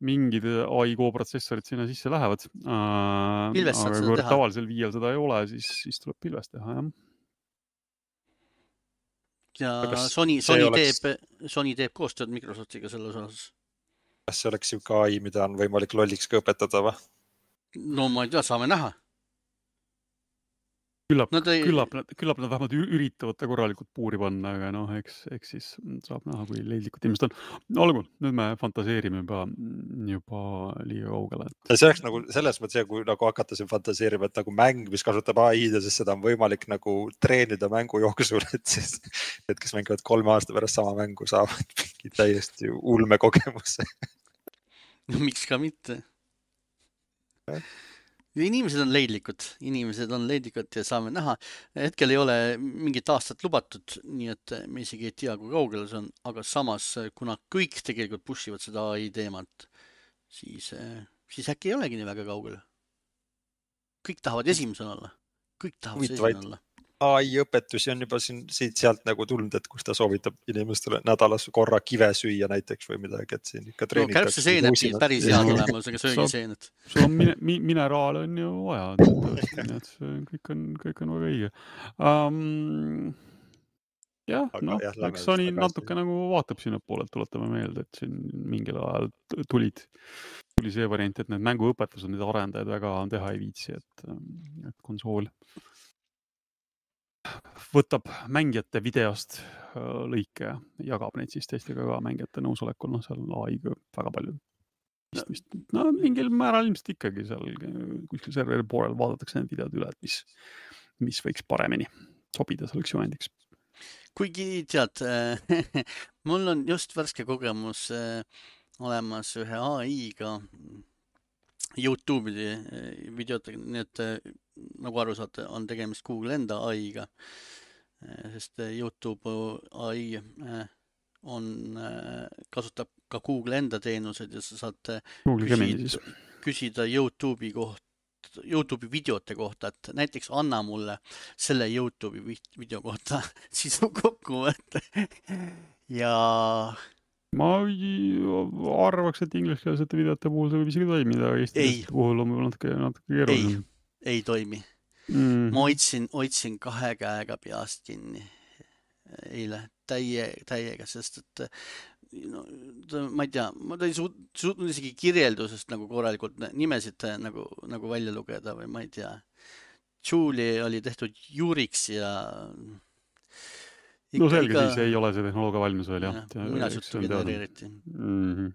mingid A I Go-protsessorid sinna sisse lähevad. Uh, aga kui tavalisel viiel seda ei ole, siis, siis tuleb pilvest teha, jah. Ja Sony, Sony, oleks... teeb, Sony teeb koostööd Microsoftiga selles osas. Kas see oleks siuke A I, mida on võimalik lolliks ka õpetada või? No ma ei tea, saame näha. Küllap, Nad ei... küllap, küllap nad vähemalt üritavad ta korralikult puuri panna, aga noh, eks, eks siis saab näha, kui leidlikud inimesed on. Olgu, nüüd me fantaseerime juba, juba liiga kaugele. Et... See oleks nagu selles mõttes, kui nagu hakata siin fantaseerima, et nagu mäng, mis kasutab A I-d ja siis seda on võimalik nagu treenida mängu jooksul, et siis, et kes mängivad kolme aasta pärast sama mängu saavad mingi täiesti ulme kogemuse. No miks ka mitte? Inimesed on leidlikud, inimesed on leidlikud ja saame näha. Hetkel ei ole mingit aastat lubatud, nii et me isegi ei tea, kui kaugel see on, aga samas, kuna kõik tegelikult pushivad seda A I teemat, siis, siis äkki ei olegi nii väga kaugel. Kõik tahavad esimesena olla. Kõik tahavad esimesena olla. A I õpetusi on juba siin siit-sealt nagu tulnud, et kus ta soovitab inimestele nädalas korra kive süüa näiteks või midagi, et siin ikka treenid. No kärbse seened siis päris head olema, see söögi seened. Sul on mine, mi, mineraal on ju vaja, nii et kõik on, kõik on väga õige. Um, jah, noh, eks Sony natuke nagu vaatab sinna poole, et tuletame meelde, et siin mingil ajal tulid, tuli see variant, et need mänguõpetused, need arendajad väga teha ei viitsi, et, et konsool võtab mängijate videost lõike ja jagab neid siis teistega ka mängijate nõusolekul, noh seal A I-ga väga palju istmist. No mingil määral ilmselt ikkagi seal kuskil serveri poolel vaadatakse need videod üle, et mis, mis võiks paremini sobida selleks juhendiks. Kuigi tead, mul on just värske kogemus olemas ühe A I-ga YouTube'i videotega, nii et nagu aru saate, on tegemist Google enda A I-ga, sest YouTube A I on, kasutab ka Google enda teenused ja sa saad küsida, küsida YouTube'i koht, YouTube'i videote kohta, et näiteks anna mulle selle YouTube'i video kohta sisu kokkuvõtte ja ma arvaks, et ingliskeelsete videote puhul see võib isegi toimida, aga eesti puhul on natuke, natuke keeruline. Ei, ei toimi. Mm. Ma oitsin, oitsin kahe käega peast kinni eile täie, täiega, sest et no, ma ei tea, ma ei suutnud suut, isegi kirjeldusest nagu korralikult nimesid nagu, nagu välja lugeda või ma ei tea. Julie oli tehtud Juriks ja Ikka, no selge iga... siis ei ole see tehnoloogia valmis veel, jah. Ja, mina juttu genereeriti. Mm-hmm.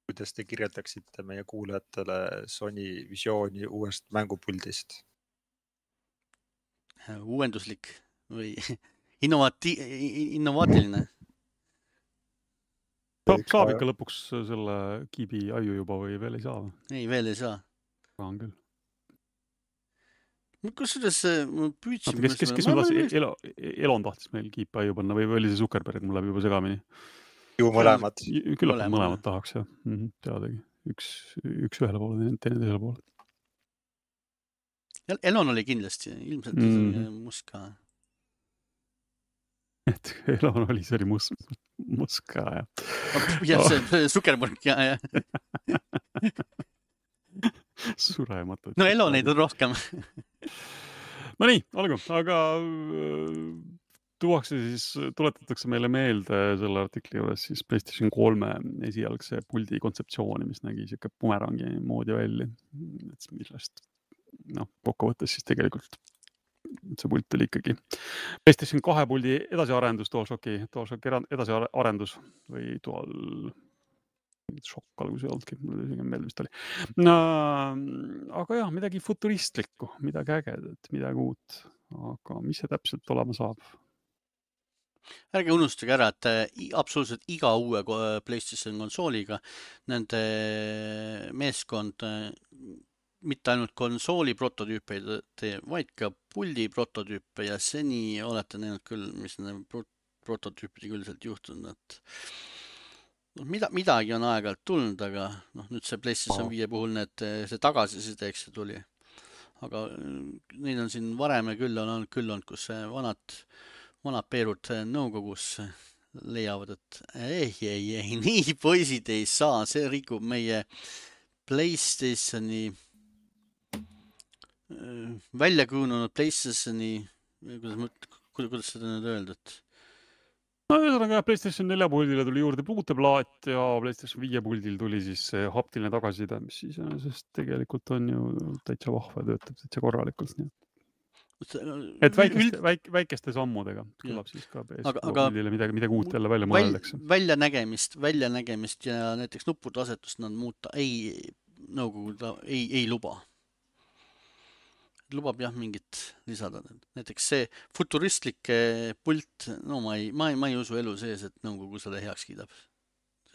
Kuidas te kirjeldaksite meie kuulajatele Sony visiooni uuest mängupuldist? Uuenduslik või innovati... innovaatiline? Saab, saab ikka lõpuks selle kiibi aju juba või veel ei saa? Ei, veel ei saa. Saan küll. Kus selles püüdsin... Kes, kes, kes meil tahtis, Elo, Elon tahtis meil kiipi aju panna või oli see Zuckerberg, mul läheb juba segamini? Ju mõlemad. Küllap mõlemad, mõlemad tahaks, jah. Mm-hmm, teadagi. Üks, üks ühele poole, teine teisele poole. Elon oli kindlasti, ilmselt mm. muska. Et Elon oli, see oli mus, muska, jah. jah, see Zuckerberg, jah, jah. Surematud. No Elo neid on rohkem. No nii, olgu, aga tuuakse siis, tuletatakse meile meelde selle artikli juures siis PlayStation kolme esialgse puldi kontseptsiooni, mis nägi siuke bumerangi moodi välja. Et millest, noh, kokkuvõttes siis tegelikult see pult oli ikkagi PlayStation kahe puldi edasiarendus, DualShocki, DualShocki edasiarendus või Dual... šokk algus ei olnudki, mul isegi meelde vist oli. No, aga jah, midagi futuristlikku, midagi ägedat, midagi uut. Aga mis see täpselt olema saab? Ärge unustage ära, et absoluutselt iga uue PlayStation konsooliga nende meeskond mitte ainult konsooli prototüüpe ei tee, vaid ka puldi prototüüpe ja seni olete näinud küll, mis nende prototüüpide küll sealt juhtunud, et Mida, midagi on aeg-ajalt tulnud, aga noh, nüüd see PlayStation viie puhul need, see tagasiside, eks see tuli. Aga neid on siin varem küll on, küll on, kus vanad, vanad peerud nõukogus leiavad, et ei, ei, ei, nii poisid ei saa, see rikub meie PlayStationi välja kujunenud PlayStationi, kuidas, kuidas seda nüüd öeldud? No ühesõnaga PlayStation nelja puldile tuli juurde puuteplaat ja PlayStation viie puldil tuli siis see haptiline tagasiside, mis siis sest tegelikult on ju täitsa vahva ja töötab täitsa korralikult. Nii. Et väikeste, väik, väikeste sammudega kõlab siis ka P S puldile midagi, midagi uut jälle välja mõeldakse. Välja nägemist, välja nägemist ja näiteks nuppude asetust nad muuta ei, nõukogu ta ei, ei luba. Lubab jah mingit lisada. Näiteks see futuristlik pult, no ma ei, ma ei, ma ei usu elu sees, et nõukogu seda heaks kiidab.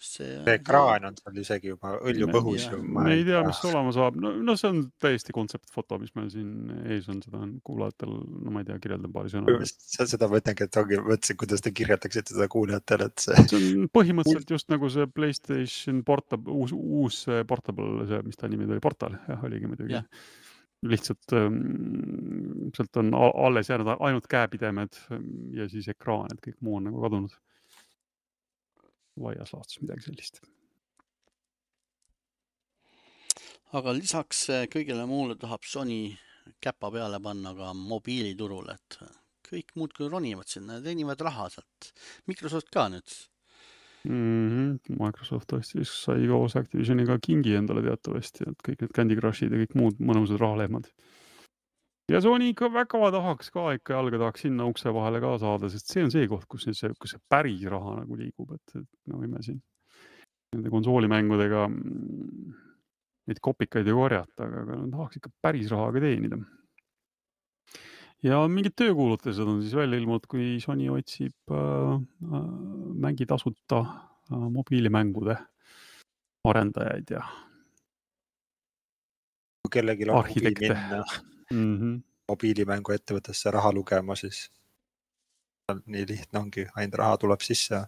See, see ekraan on seal isegi juba õljub õhus. Me ei tea, mis olema saab. No, no see on täiesti kontseptfoto, mis meil siin ees on. Seda on kuulajatel, no ma ei tea, kirjeldan paari sõna. Seda mõtlengi, et ongi mõtlesin, kuidas te kirjeldaksite seda kuulajatel. Et see... see on põhimõtteliselt just nagu see PlayStation Portable, uus, uus Portable, see, mis ta nimi oli, Portal, jah, oligi muidugi. Ja. Lihtsalt ähm, sealt on alles jäänud ainult käepidemed ja siis ekraan, et kõik muu on nagu kadunud. Laias laastus midagi sellist. Aga lisaks kõigele muule tahab Sony käpa peale panna ka mobiiliturul, et kõik muud kui ronivad sinna, teenivad raha sealt. Microsoft ka nüüd. Mm-hmm. Microsoft tõestis sai koos Activisioniga kingi endale teatavasti, et kõik need Candy Crushid ja kõik muud mõnusad rahalehmad. Ja Sony ikka väga tahaks ka ikka jalga tahaks sinna ukse vahele ka saada, sest see on see koht, kus see, kus see päris raha nagu liigub, et, et no võime siin nende konsoolimängudega neid kopikaid ei korjata, aga, aga tahaks ikka päris raha ka teenida. Ja mingid töökuulutused on siis välja ilmunud, kui Sony otsib äh, mängi tasuta äh, mobiilimängude arendajaid ja kui kellelgi on huvi minna mm-hmm. mobiilimängu ettevõttesse raha lugema, siis nii lihtne ongi, ainult raha tuleb sisse.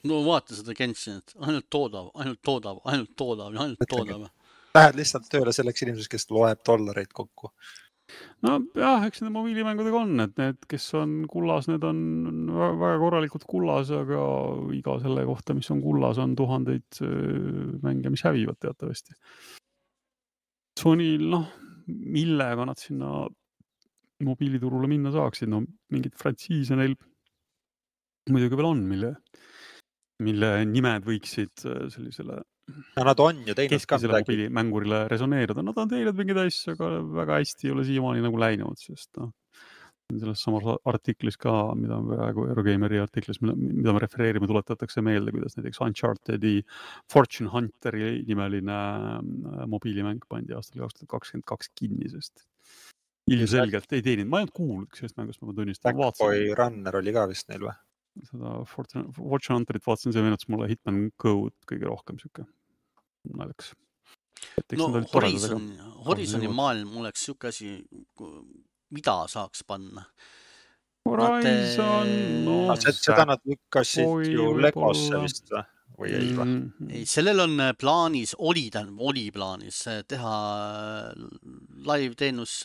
No vaata seda Genshinit, ainult toodav, ainult toodav, ainult toodav ja ainult toodav. Lähed lihtsalt tööle selleks inimeseks, kes loeb dollareid kokku. No jah, eks need mobiilimängudega on, et need, kes on kullas, need on väga korralikult kullas, aga iga selle kohta, mis on kullas, on tuhandeid mänge, mis hävivad teatavasti. Sonyl, noh, millega nad sinna mobiiliturule minna saaksid, no mingid frantsiise neil muidugi veel on, mille, mille nimed võiksid sellisele no nad on ju teinud ka midagi mängurile resoneerida. Nad on teinud mingeid asju, aga väga hästi ei ole siiamaani nagu läinud, sest no, selles samas artiklis ka, mida praegu Eurogameri artiklis, mida me refereerime, tuletatakse meelde, kuidas näiteks Unchartedi Fortune Hunteri nimeline mobiilimäng pandi aastal kaks tuhat kakskümmend kaks kinni, sest ilmselgelt ei teeninud. Ma ei olnud kuulnud, sellest mängust ma tunnistan. Backboy Runner oli ka vist neil või? Seda Fortune, Fortune Hunterit vaatasin, see meenutas mulle Hitman Code kõige rohkem siuke naljakas. No Horizon, Horizoni maailm oleks siuke asi, mida saaks panna. Horizon, no seda nad lükkasid ju Legosse vist või ei või? Ei, sellel on plaanis, oli, oli plaanis teha live teenus,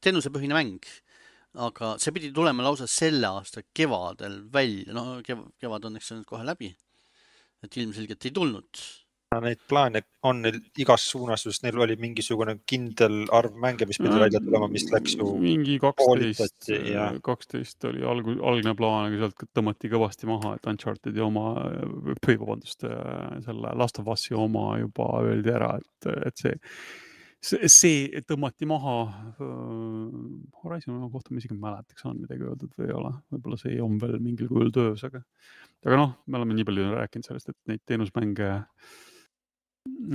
teenusepõhine mäng. Aga see pidi tulema lausa selle aasta kevadel välja. No kevad on eks nüüd kohe läbi. Et ilmselgelt ei tulnud. Neid plaane on neil igas suunas, just neil oli mingisugune kindel arv mänge, mis pidi välja tulema, mis läks ju mingi kaksteist, ja... kaksteist oli alg, algne plaan, aga sealt tõmmati kõvasti maha, et Uncharted ja oma, või vabandust, selle Last of Us'i oma juba öeldi ära, et, et see See, see tõmmati maha uh, Horizon kohta ma isegi mäletaks on midagi öeldud või ei ole. Võib-olla see on veel mingil kujul töös, aga, aga noh, me oleme nii palju rääkinud sellest, et neid teenusmänge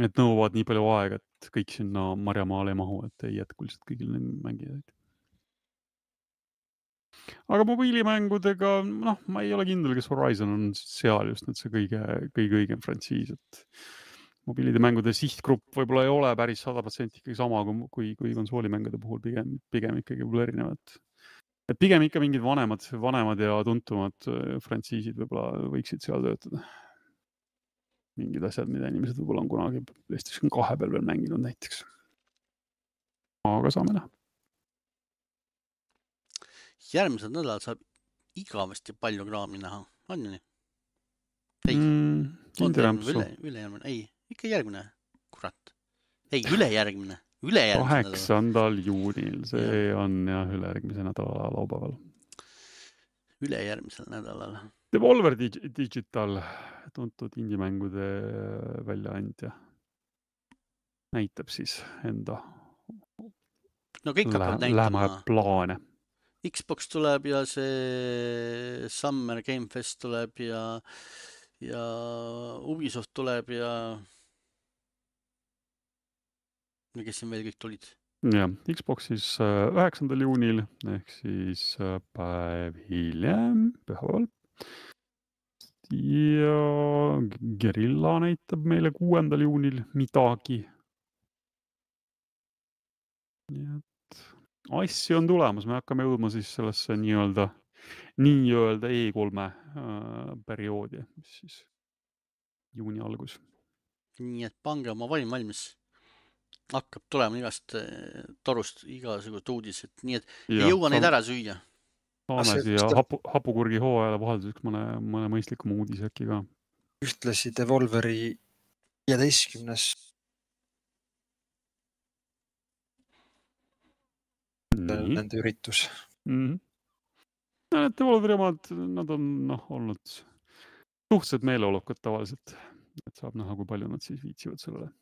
et nõuavad nii palju aega, et kõik sinna marjamaale ei mahu, et ei jätku lihtsalt kõigil mängijaid. Aga mobiilimängudega, noh, ma ei ole kindel, kes Horizon on seal just nüüd see kõige, kõige õigem frantsiis, et mobiilide mängude sihtgrupp võib-olla ei ole päris sada protsenti ikkagi sama kui, kui konsoolimängude puhul pigem, pigem ikkagi võib-olla erinevad. Et pigem ikka mingid vanemad, vanemad ja tuntumad frantsiisid võib-olla võiksid seal töötada. Mingid asjad, mida inimesed võib-olla on kunagi PlayStation kahe peal veel mänginud näiteks. Aga saame näha. Järgmised nädalad saab igavesti palju kraami näha. On ju nii? Ei. Mm, üle, üle järgmine. Ei. Ikka järgmine, kurat. Ei, ülejärgmine. Ülejärgmine. kaheksandal juunil, see ja. on jah ülejärgmise nädala laupäeval. ülejärgmisel nädalal. Devolver Digital, tuntud indimängude väljaandja, näitab siis enda no kõik lä hakkavad näitama. plaane. Xbox tuleb ja see Summer Game Fest tuleb ja, ja Ubisoft tuleb ja ja kes siin veel kõik tulid? Ja, Xboxis üheksandal juunil ehk siis päev hiljem, pühapäeval. Ja Guerrilla näitab meile kuuendal juunil midagi. Nii et asju on tulemas, me hakkame jõudma siis sellesse nii-öelda nii-öelda E kolme äh, perioodi, mis siis juuni algus. Nii et pange oma vaim valmis. Hakkab tulema igast torust igasugust uudised, nii et ja, ei jõua saame, neid ära süüa. Saame siia hapu, hapukurgi hooajale vahelduseks mõne, mõne mõistlikuma uudise äkki ka. Ühtlasi Devolveri viieteistkümnes Nii. nende üritus. Mm-hmm. Ja, need Devolveri omad, nad on noh, olnud suhteliselt meeleolukad tavaliselt, et saab näha, kui palju nad siis viitsivad sellele.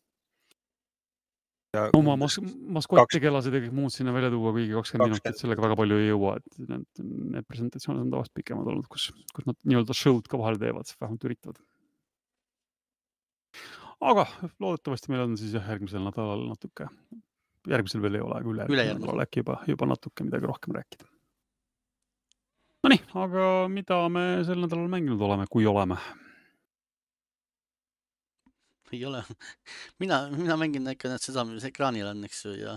Ja oma mas maskottegelased ja kõik muud sinna välja tuua, kuigi kakskümmend minutit sellega väga palju ei jõua, et need, need presentatsioonid on tavaliselt pikemad olnud, kus, kus nad nii-öelda show'd ka vahel teevad, vähemalt üritavad. Aga loodetavasti meil on siis järgmisel nädalal natuke, järgmisel veel ei ole, aga üle järgmisel nädalal äkki juba, juba natuke midagi rohkem rääkida. No nii, aga mida me sel nädalal mänginud oleme, kui oleme? Ei ole. Mina, mina mängin ikka need seda, mis ekraanil on, eks ju, ja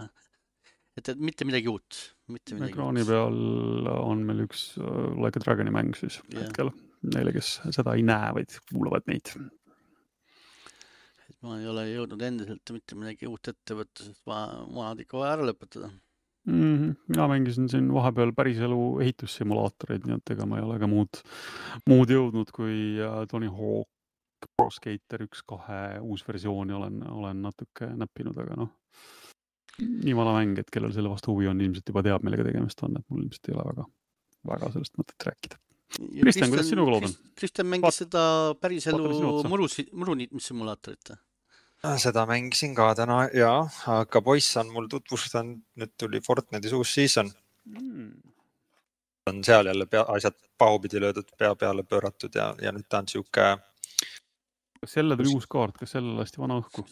et, et mitte midagi uut. Mitte midagi ekraani uut. Peal on meil üks uh, Like a Dragoni mäng siis yeah. hetkel. Neile, kes seda ei näe, vaid kuulavad meid. Et ma ei ole jõudnud endiselt mitte midagi uut ette võtta, sest ma, ma olen ikka vaja ära lõpetada. Mm-hmm. Mina mängisin siin vahepeal päris elu ehitussimulaatoreid, nii et ega ma ei ole ka muud, muud jõudnud kui uh, Tony Hawk Pro Skater üks kahe uus versiooni olen, olen natuke näppinud, aga noh, nii vana mäng, et kellel selle vastu huvi on, ilmselt juba teab, millega tegemist on, et mul ilmselt ei ole väga, väga sellest mõtet rääkida. Kristjan, kuidas sinuga lood on? Kristjan mängis Vaat, seda päris elu muruniitmissimulaatorit. Seda mängisin ka täna, jaa, aga poiss on mul tutvustanud, nüüd tuli Fortnite'is uus season. Mm. On seal jälle pea, asjad pahupidi löödud, pea peale pööratud ja, ja nüüd ta on siuke Kas selle tuli uus kaart, kas selle lasti vana õhku?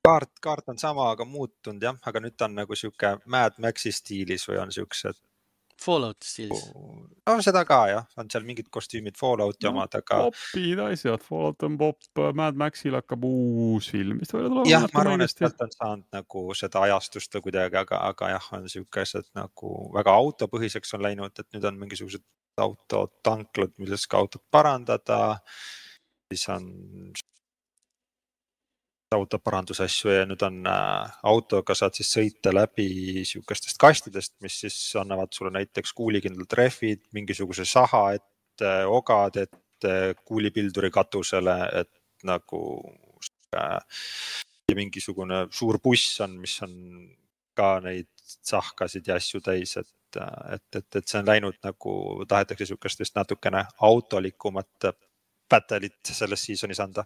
kaart, kaart on sama, aga muutunud jah, aga nüüd on nagu siuke Mad Maxi stiilis või on siuksed Fallout stiilis. No seda ka jah, on seal mingid kostüümid Fallouti no, omad, aga popid asjad, Fallout on pop, Mad Maxil hakkab uus film, vist välja tuleb. Jah, ma arvan, et sealt on saanud nagu seda ajastust või kuidagi, aga, aga jah, on siukesed nagu väga autopõhiseks on läinud, et nüüd on mingisugused autotanklad, milles ka autot parandada. Siis on autoparandusasju ja nüüd on äh, autoga saad siis sõita läbi siukestest kastidest, mis siis annavad sulle näiteks kuulikindlad rehvid, mingisuguse saha ette, ogad ette, kuulipilduri katusele, et nagu äh, ja mingisugune suur buss on, mis on ka neid sahkasid ja asju täis, et, et, et, et see on läinud nagu tahetakse siukestest natukene autolikumat battle'it selles seasonis anda.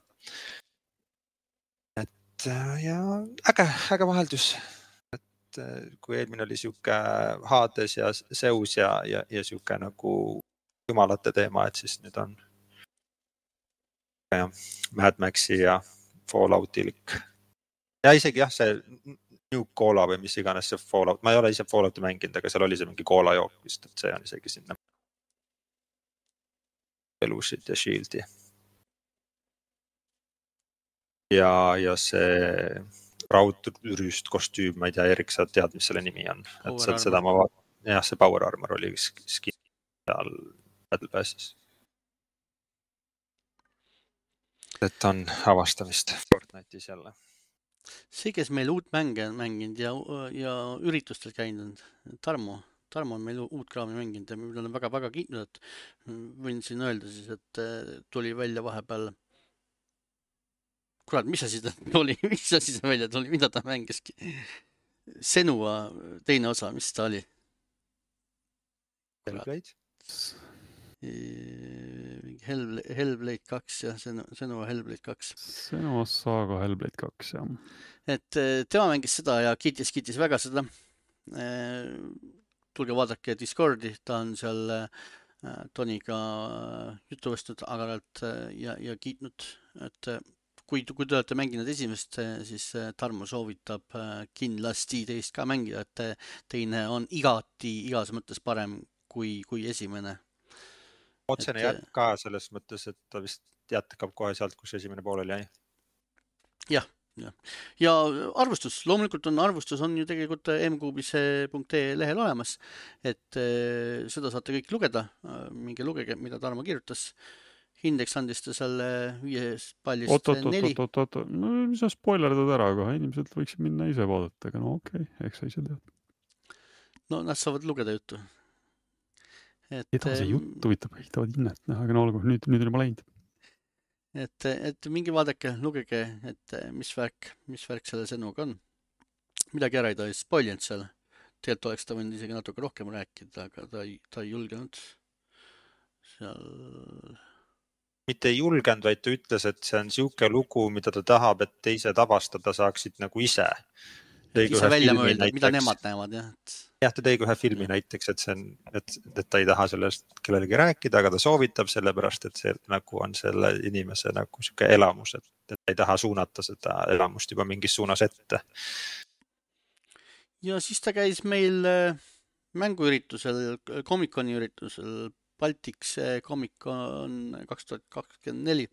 Et ja äge, äge vaheldus. Et kui eelmine oli siuke Hades ja Zeus ja, ja, ja siuke nagu jumalate teema, et siis nüüd on ja, Mad Maxi ja Falloutilik. Ja isegi jah, see New Cola või mis iganes see Fallout. Ma ei ole ise Fallouti mänginud, aga seal oli see mingi Cola jook vist, et see on isegi sinna elusid ja shieldi. Ja, ja see raudrüüst kostüüm, ma ei tea, Erik, sa tead, mis selle nimi on. Et sealt seda ma vaatan. Jah, see Power Armor oli skin seal Battle Passis. Et on avastamist Fortnite'is jälle. See, kes meil uut mänge on mänginud ja, ja üritustel käinud, Tarmo. Tarmo on meil uut kraami mänginud ja meil on väga-väga kiitnud, et võin siin öelda siis, et tuli välja vahepeal kurat, mis asi ta oli, mis asi ta välja tuli, mida ta mängiski? Senua teine osa, mis ta oli? Hellblade? Hell, Hellblade kaks ja Senua Hellblade kaks. Senua Saga Hellblade kaks, jah. Et tema mängis seda ja kiitis, kiitis väga seda. Tulge vaadake Discordi, ta on seal Toniga juttu võstnud agaralt ja, ja kiitnud, et kui, kui te olete mänginud esimest, siis Tarmo soovitab kindlasti teist ka mängida, et teine on igati igas mõttes parem kui, kui esimene. Otsene et, jätk ka selles mõttes, et ta vist jätkab kohe sealt, kus esimene poolel jäi. Jah, jah. Ja arvustus, loomulikult on arvustus on ju tegelikult mkuubis.ee lehel olemas, et seda saate kõik lugeda, minge lugege, mida Tarmo kirjutas. Indeks andis ta selle viies pallist oot, oot, neli. Oot, oot, oot, no mis sa spoilerdad ära, aga inimesed võiksid minna ise vaadata, aga no okei, okay, eks sa ise tead. No nad saavad lugeda juttu. Et, edasi juttu võitab, ehitavad hinnet, aga no olgu, nüüd, nüüd on juba läinud. Et, et mingi vaadake, lugege, et mis värk, mis värk selle Senuga on. Midagi ära ei ta ei spoilinud seal. Tegelikult oleks ta võinud isegi natuke rohkem rääkida, aga ta ei, ta ei julgenud seal... Mitte ei julgenud, vaid ta ütles, et see on siuke lugu, mida ta tahab, et teised avastada saaksid nagu ise. Ise välja mõelda, mida nemad näevad, jah. Et... jah, ta tegi ühe filmi näiteks, et, see on, et, et ta ei taha sellest kellelegi rääkida, aga ta soovitab sellepärast, et see nagu on selle inimese nagu siuke elamus, et, et ta ei taha suunata seda elamust juba mingis suunas ette. Ja siis ta käis meil mänguüritusel, Comic-Coni üritusel, Baltics Comic-Con kaks tuhat kakskümmend neli.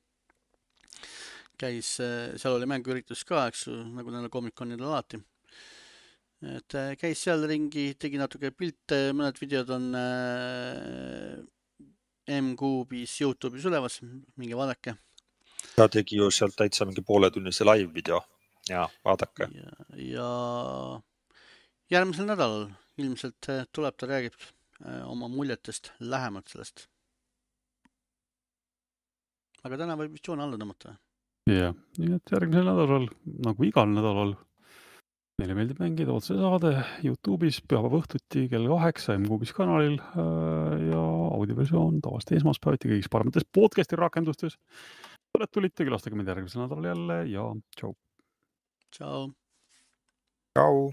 Käis, seal oli mänguüritus ka, eks, nagu neil Comic-Conil alati. Et käis seal ringi, tegi natuke pilte, mõned videod on mkuubis YouTube'is ülemas, minge vaadake. Ta tegi ju sealt täitsa mingi pooletunnise live video ja vaadake. Ja, ja järgmisel nädalal ilmselt tuleb ta räägib oma muljetest lähemalt sellest. Aga täna võib vist joone alla tõmmata. Jah, nii et järgmisel nädalal, nagu igal nädalal, meile meeldib mängida otse saade YouTube'is pühapäeva õhtuti kell kaheksa mkuubis kanalil ja audioversioon tavaliselt esmaspäeviti kõigis paremates podcasti rakendustes. Oled tulite, külastage meid järgmisel nädalal jälle ja tšau. Tšau. Tšau.